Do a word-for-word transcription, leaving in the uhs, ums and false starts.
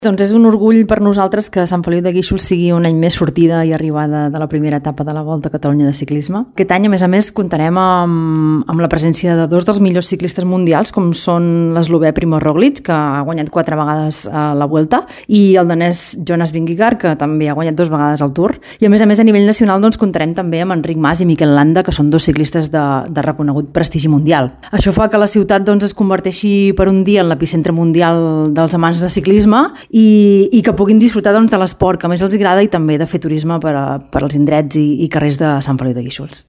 Doncs és un orgull per nosaltres que Sant Feliu de Guíxols sigui un any més sortida i arribada de la primera etapa de la Volta a Catalunya de ciclisme. Aquest any, a més a més, comptarem amb, amb la presència de dos dels millors ciclistes mundials, com són l'eslovè Primož Roglič, que ha guanyat quatre vegades a la Vuelta, i el danès Jonas Vingegaard, que també ha guanyat dues vegades al Tour. I a més a més, a nivell nacional, doncs, comptarem també amb Enric Mas i Mikel Landa, que són dos ciclistes de, de reconegut prestigi mundial. Això fa que la ciutat doncs, es converteixi per un dia en l'epicentre mundial dels amants de ciclisme i, i que puguin disfrutar doncs, de l'esport que més els agrada i també de fer turisme per, a, per als indrets i, i carrers de Sant Feliu de Guíxols.